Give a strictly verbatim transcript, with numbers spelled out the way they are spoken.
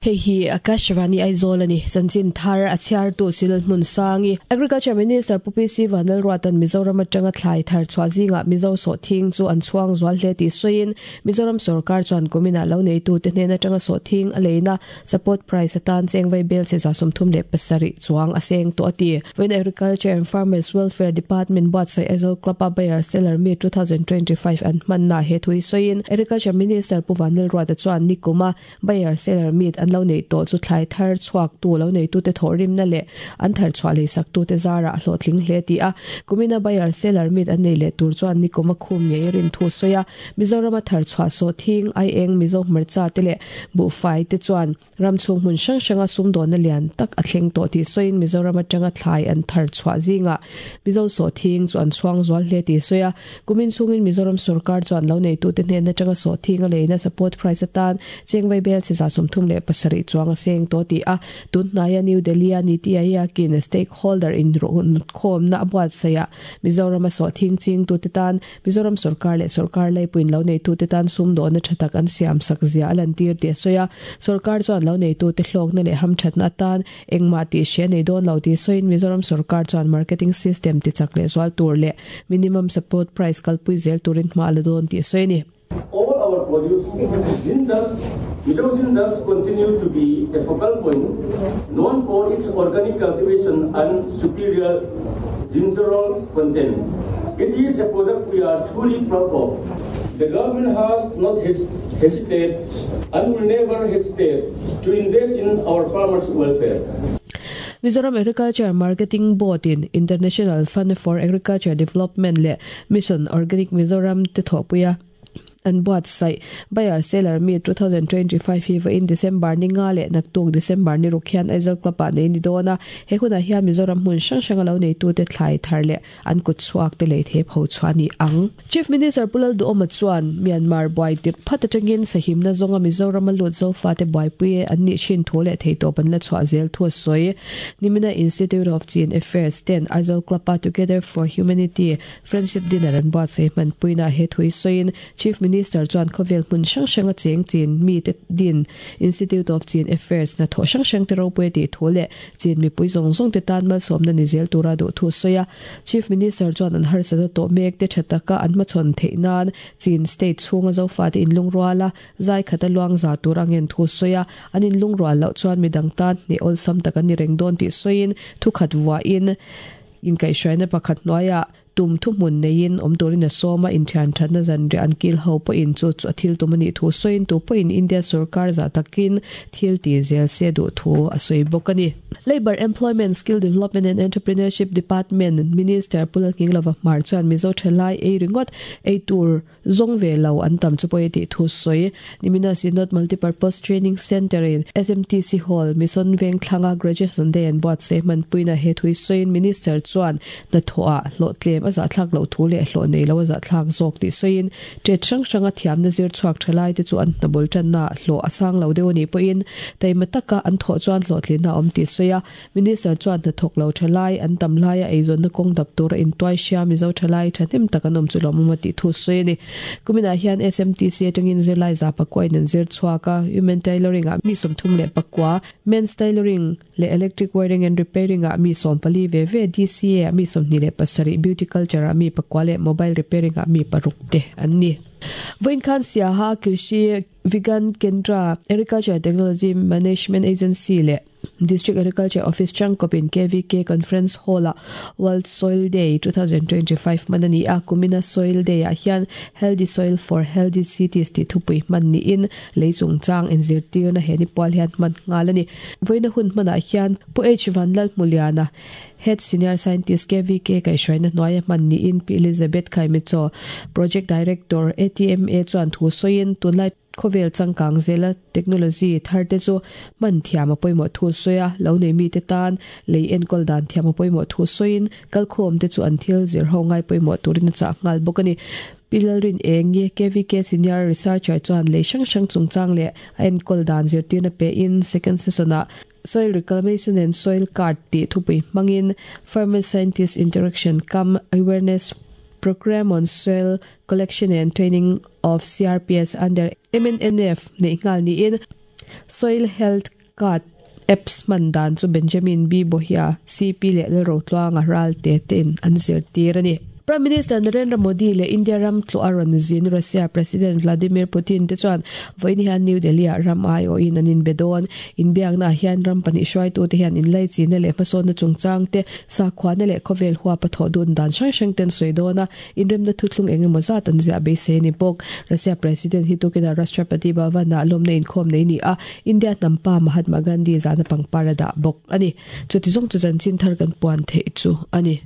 Hei hi Akashvani Aizawl ani chanchin thar a chhiar tu sil hmun sangi Agriculture Minister Pu P C Vanlalruatan Mizoram atanga thlai thar chhuah zinga Mizo sawhthing chu an chhuang zual hle tih sawiin Mizoram sorkar chuan kumina lo neitu te hnen atanga sawhthing a leina support price atan chengvai bel che za sawmthum leh pasarih chuang a seng tawh a ti. Vawiin Agriculture and Farmers Welfare Department buatsaih Aizawl Club a Buyer Seller Meet twenty twenty-five an hmanna he thui sawiin Agriculture Minister Pu Vanlalruata chuan nikuma Buyer Seller Meet an lo nei tawh chu thlai thar chhuak tu lo nei tu te thawh rimna leh an thar chhuah lei sak tu te zara a hlawhtling hle ti a. Kumina buyer seller meet an nei leh tur chuan nikuma khum ngei rin thu sawi a. Mizoram a thar chhuah sawhthing, ai eng, Mizo hmarcha te leh buhfai te chuan ramchhung hmun hrang hranga sumdawn na lian tak a thleng tawh tih sawiin Mizoram atanga thlai an thar chhuah zinga Mizo sawhthing chu an chhuang zual hle tih sawi a. Kumin chungin Mizoram sorkar chuan lo nei tu te hnen atanga sawhthing a leina support price atan chengvai bel chi za sawmthum leh pasarih chuang a seng tawh ti a. Tunhnaia New Delhi a Niti Aayog in stakeholder in khawm na buatsaih a Mizoram a sawhthing ching tu te tan Mizoram sorkar leh sorkar leipuin lo nei tu te tan sumdawn na thatak an siam sak zia a lan tir ti a sawi a. Sorkar chuan lo nei tu te hlawk na leh ham thatna atan engmah tih hria nei dawn lo tih sawiin Mizoram sorkar chuan marketing system ti chak leh zual tur leh minimum support price kalpui zel turin hma la dawn tih sawi ni. All our produce gingers, Mizo gingers continue to be a focal point, known for its organic cultivation and superior gingerol content. It is a product we are truly proud of. The government has not hes- hesitated and will never hesitate to invest in our farmers' welfare. Mizoram Agriculture Marketing Board in International Fund for Agriculture Development leh Mission Organic Mizoram te thawhpuia an buatsaih Buyer Seller Meet twenty twenty-five hi vawiin December ni nga leh naktuk December ni ruk hian Aizawl Club ah nei ni dawn a. He hunah hian Mizoram hmun hrang hrang a lo nei tu te thlai thar leh an kut chhuak te lei thei pho chhuah ni ang. Chief Minister Pu Lalduhoma chuan Myanmar buai tirh phat atangin sahimna zawnga Mizoram a lut zofa te buaipui an nih thin thu leh theitawp an la chhuah zel thu a sawi. Nimina Institute of Chin Affairs ten Aizawl Club a Together for Humanity Friendship Dinner an buatsaih hman puina he thui sawiin Chief Minister chuan khawvel hmun hrang hranga cheng chin mi te din Institute of Chin Affairs na thaw hrang hrang te ropui tih thu leh chin mipui zawng zawng te tan malsawmna ni zel tura duh thu sawi a. Chief Minister chuan an harsat tawh mek te thataka an hmachhawn theih nan Chin state chhunga zofa te inlungruala zai khata luang za tur angen thu sawi a. An inlungrual loh chuan midang tan ni awlsam tak an ni reng dawn tih sawiin thu khat vua in inkaihhruaina pakhat hnuaiah tum thu hmun neiin awm turin a sawma. Inthian thatna zan ri an kil ho pawhin chu chu a thil tum ani thu sawiin tu pawhin India sarkar za takin thil ti zel se duh thu a sawi bawk ani. Labor, Employment, Skill Development and Entrepreneurship Department Minister Pu Lalnghinglova Hmar chuan Mizo thalai ei ringawt ei tur zawng ve lo an tam chu pawh tih thu sawi. Nimina Synod Multipurpose Training Center in S M T C Hall, Mission Veng thlanga Graduation Day an buatsaih hman puina he thui sawiin Minister chuan na thawh a hlawh tlem a zahthlak lo thu leh hlawh nei lo a zahthlak zawk tih sawiin tet hrang hranga thiamna zir chhuak thalai te chu an hnabul tanna hlawh a sang lo deuh ani pawhin taima taka an thawh chuan hlawhtlinna awm tih sawi a. Minister chuan hnathawk lo thalai an tam laia eizawnna kawng dap tura intuai hria Mizo thalai thahnem tak an awm chu lawmawm a tih thu sawi ani. Kumina hian S M T C atangin zirlai za pakua in an zir chhuak a. Women tailoring ah mi sawmthum leh pakua, men's tailoring leh electric wiring and repairing ah mi sawm pali ve ve, D C A ah mi sawmhnih leh pasarih, beauty culture ah mi pakua leh mobile repairing ah mi paruk te an ni. Vawiin khan Siaha Krishi Vigyan Kendra, Agriculture Technology Management Agency leh District Agriculture Office changkopin K V K Conference Hall a World Soil Day twenty twenty-five manani a. Kumina Soil Day ah hian "Healthy Soil for Healthy Cities" ti thupui hman ni in leichung chang inzirtir na he ni pual hian hman ngal ani. Voina hun hmanah hian Pu H Vanlal Muliana, Head Senior Scientist K V K kaihhruaina hnuaia hman ni in Pi Elizabeth Khaimicho, Project Director A T M A chuan thu sawiin tunlai khawvel changkang zela technology thar te chu man thiam a pawimawh thu sawi a. Lo nei mi te tan lei enkawl dan thiam a pawimawh thu sawiin kalkhawm te chu an thil zir ho ngai pawimawh turin a chah nghal bawk ani. Pi Lalrin Engi, K V K Senior Researcher chuan lei hrang hrang chungchang leh a enkawl dan zirtirna pe in second session ah "Soil Reclamation and Soil Card" tih thupui hmangin Farmer Scientist Interaction cum Awareness Program on Soil Collection and Training of C R Ps under M N N F nei nghal niin. Soil Health Card apps man dan chu Benjamin B Bohia C P le Lalrotluanga Ralte ten an zirtir ani. Prime Minister Narendra Modi le India ram tluaron zin Russia President Vladimir Putin te chuan voini hian New Delhi a ram ai o in anin bedon in biak na hian ram pani hruai tu te hian in lai chi na le hmasawn na chungchang te sakhua na le khawvel hua patho dun dan hrang hrang ten soi dona in rem na thuthlung engemaw zat an zia beisei ni bawk. Russia President hi tukina Rashtrapati Bhavan na lawm na inkhawm nei ni a India nampa Mahatma Gandhi zana pangpara da bawk ani. Chuti zawng chu chanchin thar kan puan thei chu ani.